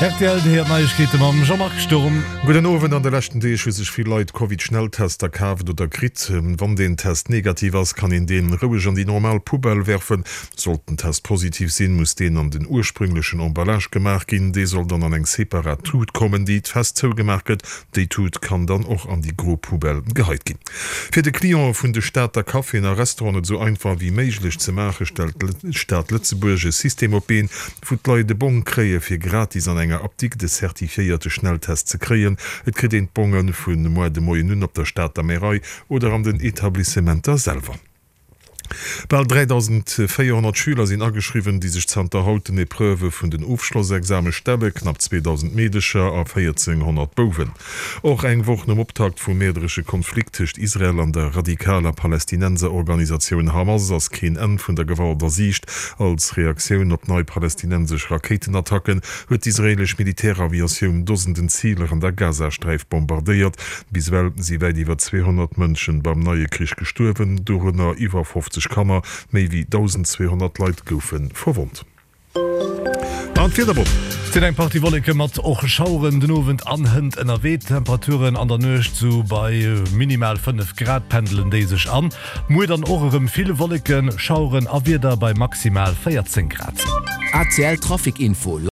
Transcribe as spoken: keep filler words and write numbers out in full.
Rtl, Dir héiert d'Neiegkeete mam Jean-Marc Sturm. Gudden Owend, An de leschten Deeg hu sech vill Leit Covid-Schnelltester kaaft oder kritt. Wann deen Test negativ ass, kann een deen roueg an déi normal Poubelle werfen. Sollt den Test positiv sinn, muss deen an den ursprünglechen Emballage gemaach ginn. Dee soll dann an eng separat Tut kommen, déi fest zougemaach gëtt. Déi Tut kann dann och an déi gro Poubelle geheit ginn. Fir de Clientë vun de Stater Caféen a Restauranten et esou einfach wéi méiglech ze maachen, stellt d'Stad Lëtzebuerg e System op d'Been, wou d'Leit e Bong kréie fir gratis an enger Apdikt e certifiéierte Schnelltest ze kréien. Et kritt een d'Bonge vu muer de Moien un op der Stater Märei oder an den Etablissementer selwer. Bal dräidausendvéierhonnert Schüler sinn ageschriwwen, déi sech zanter haut den Epreuvë vun den Ofschlossexame stellen, knapp zweedausend Meedecher a véierzénghonnert Bouwen. Och eng Woch nom Optakt vum mäerderesche Konflikt tëscht Israel an der radikaler Palästinenserorganisatioun Hamas ass keen Enn vun der Gewalt a Siicht. Als Reaktioun op nei palästinensesch Rakéitenattacken huet d'israeelesch Militäraviatioun Dosenden Ziler an der Gazasträif bombardéiert. Bis ewell si wäit iwwer zweehonnert Mënsche beim neie Krich gestuerwen, dorënner iwwer fofzeg Kanner. Méi wéi dausendzweehonnert Leit goufe verwonnt. An d'Wiederbomm. Et sinn eng Partie Wolleke mat och Schaueren den Owend an hënt ënnerwee. D'Temperaturen an der Nuecht sou bei minimal fënnef Grad pendelen déi sech an. Muer dann och erëm vill Wolleken, Schaueren a Wieder bei maximal véierzéng Grad. A C L Trafic Info.